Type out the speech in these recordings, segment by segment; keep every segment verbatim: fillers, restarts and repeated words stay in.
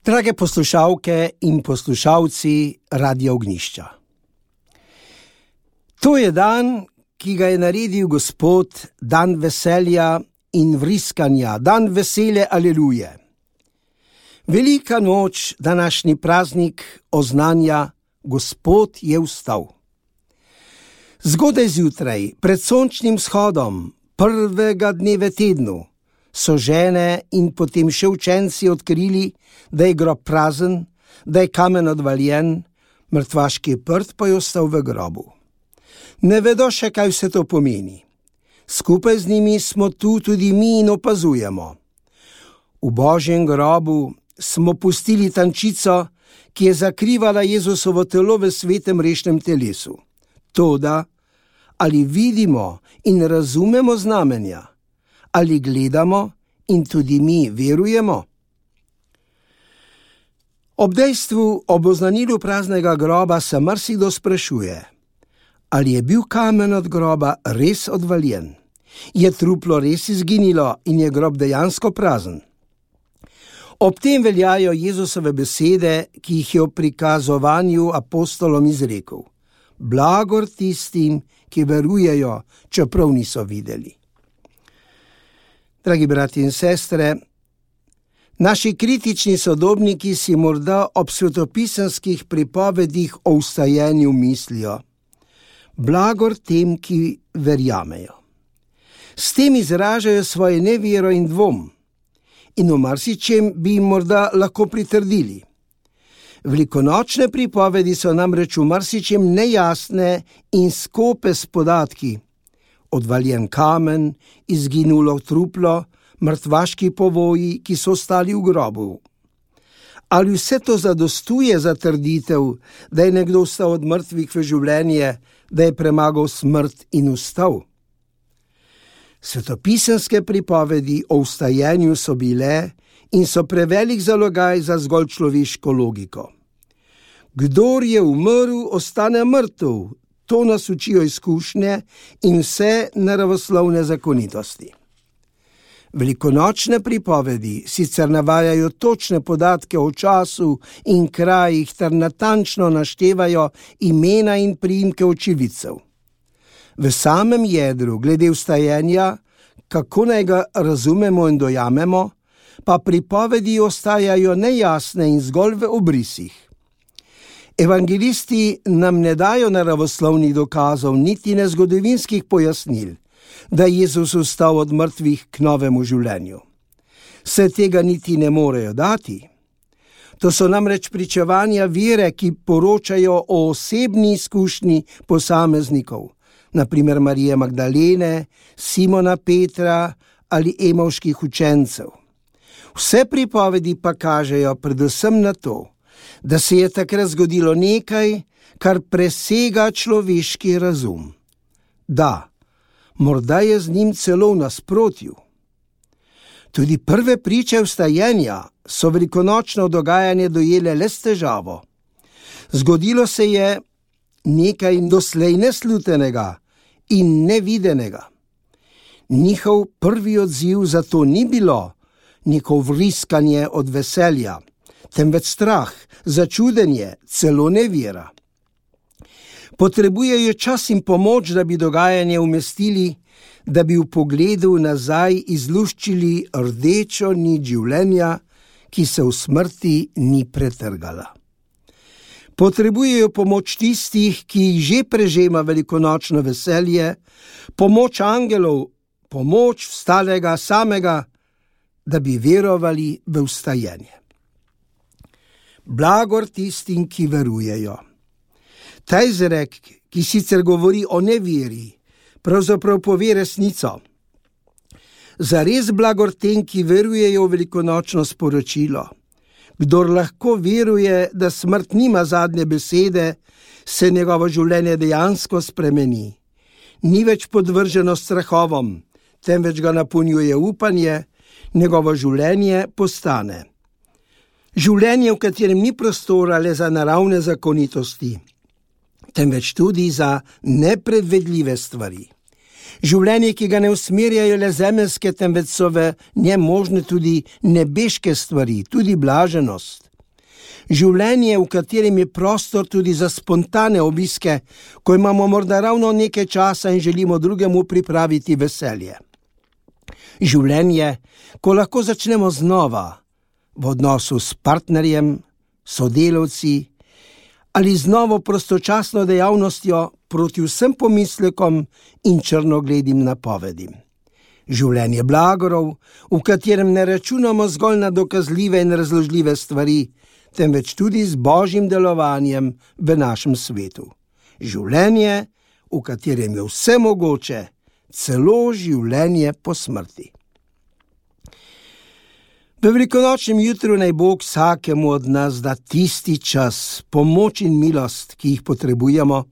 Drage poslušalke in poslušalci Radia Ognjišča. To je dan, ki ga je naredil Gospod, dan veselja in vriskanja, dan vesele aleluje. Velika noč, današnji praznik oznanja, Gospod je vstal. Zgodaj zjutraj, pred sončnim vzhodom, prvega dne v tednu, so žene in potem še učenci odkrili, da je grob prazen, da je kamen odvaljen, mrtvaški prt pa je ostal v grobu. Ne vedo še, kaj vse to pomeni. Skupaj z njimi smo tu tudi mi in opazujemo. V Božjem grobu smo pustili tančico, ki je zakrivala Jezusovo telo v svetem rešnem telesu. Toda, ali vidimo in razumemo znamenja? Ali gledamo in tudi mi verujemo? Ob dejstvu, ob oznanilu praznega groba se marsikdo sprašuje, ali je bil kamen od groba res odvaljen? Je truplo res izginilo in je grob dejansko prazen? Ob tem veljajo Jezusove besede, ki jih je v prikazovanju apostolom izrekel. Blagor tistim, ki verujejo, čeprav niso videli. Dragi brati in sestre, naši kritični sodobniki si morda ob svetopisemskih pripovedih o vstajenju mislijo: blagor tem, ki verjamejo. S tem izražajo svoje nevero in dvom in v marsičem bi jim morda lahko pritrdili. Velikonočne pripovedi so namreč v marsičem nejasne in skope s podatki. Odvaljen kamen, izginulo truplo, mrtvaški povoji, ki so ostali v grobu. Ali vse to zadostuje za trditev, da je nekdo vstal od mrtvih v življenje, da je premagal smrt in vstal? Svetopisemske pripovedi o vstajenju so bile in so prevelik zalogaj za zgolj človeško logiko. Kdor je umrl, ostane mrtev. To nas učijo izkušnje in vse naravoslovne zakonitosti. Velikonočne pripovedi sicer navajajo točne podatke o času in krajih ter natančno naštevajo imena in priimke očividcev. V samem jedru glede vstajenja, kako naj ga razumemo in dojamemo, pa pripovedi ostajajo nejasne in zgolj v obrisih. Evangelisti nam ne dajo naravoslovnih dokazov, niti ne zgodovinskih pojasnil, da je Jezus vstal od mrtvih k novemu življenju. Se tega niti ne morejo dati. To so namreč pričevanja vere, ki poročajo o osebni izkušnji posameznikov, na primer Marije Magdalene, Simona Petra ali emavških učencev. Vse pripovedi pa kažejo predvsem na to, da se je takrat zgodilo nekaj, kar presega človeški razum. Da, morda je z njim celo v nasprotju. Tudi prve priče vstajenja so velikonočno dogajanje dojele le s težavo. Zgodilo se je nekaj doslej neslutenega in nevidenega. Njihov prvi odziv zato ni bilo neko vriskanje od veselja, temveč strah, začudenje, celo nevera. Potrebujejo čas in pomoč, da bi dogajanje umestili, da bi v pogledu nazaj izluščili rdečo nit življenja, ki se v smrti ni pretrgala. Potrebujejo pomoč tistih, ki jih že prežema velikonočno veselje, pomoč angelov, pomoč vstalega samega, da bi verovali v vstajenje. Blagor tistim, ki verujejo. Ta izrek, ki sicer govori o neveri, pravzaprav pove resnico. Zares blagor tem, ki verujejo v velikonočno sporočilo. Kdor lahko veruje, da smrt nima zadnje besede, se njegovo življenje dejansko spremeni. Ni več podvrženo strahovom, temveč ga napolnjuje upanje, njegovo življenje postane. Življenje, v katerem ni prostora le za naravne zakonitosti, temveč tudi za nepredvedljive stvari. Življenje, ki ga ne usmerjajo le zemeljske, temveč so v njem možne tudi nebeške stvari, tudi blaženost. Življenje, v katerem je prostor tudi za spontane obiske, ko imamo morda ravno nekaj časa in želimo drugemu pripraviti veselje. Življenje, ko lahko začnemo znova v odnosu s partnerjem, sodelavci ali z novo prostočasno dejavnostjo proti vsem pomislekom in črnogledim napovedim. Življenje blagorov, v katerem ne računamo zgolj na dokazljive in razložljive stvari, temveč tudi z Božjim delovanjem v našem svetu. Življenje, v katerem je vse mogoče, celo življenje po smrti. V velikonočnem jutru naj Bog vsakemu od nas da tisti čas, pomoč in milost, ki jih potrebujemo,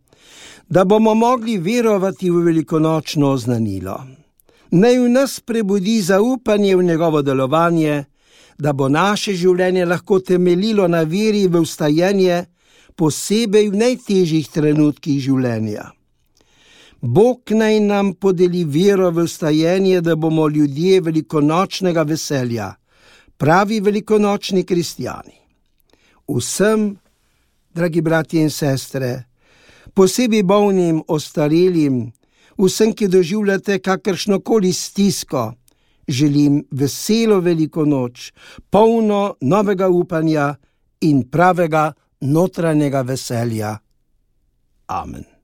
da bomo mogli verovati v velikonočno oznanilo. Naj v nas prebudi zaupanje v njegovo delovanje, da bo naše življenje lahko temeljilo na veri v vstajenje, posebej v najtežjih trenutkih življenja. Bog naj nam podeli vero v vstajenje, da bomo ljudje velikonočnega veselja, pravi velikonočni kristjani. Vsem, dragi bratje in sestre, posebej bolnim, ostarelim, vsem, ki doživljate kakršnokoli stisko, želim veselo veliko noč, polno novega upanja in pravega notranjega veselja. Amen.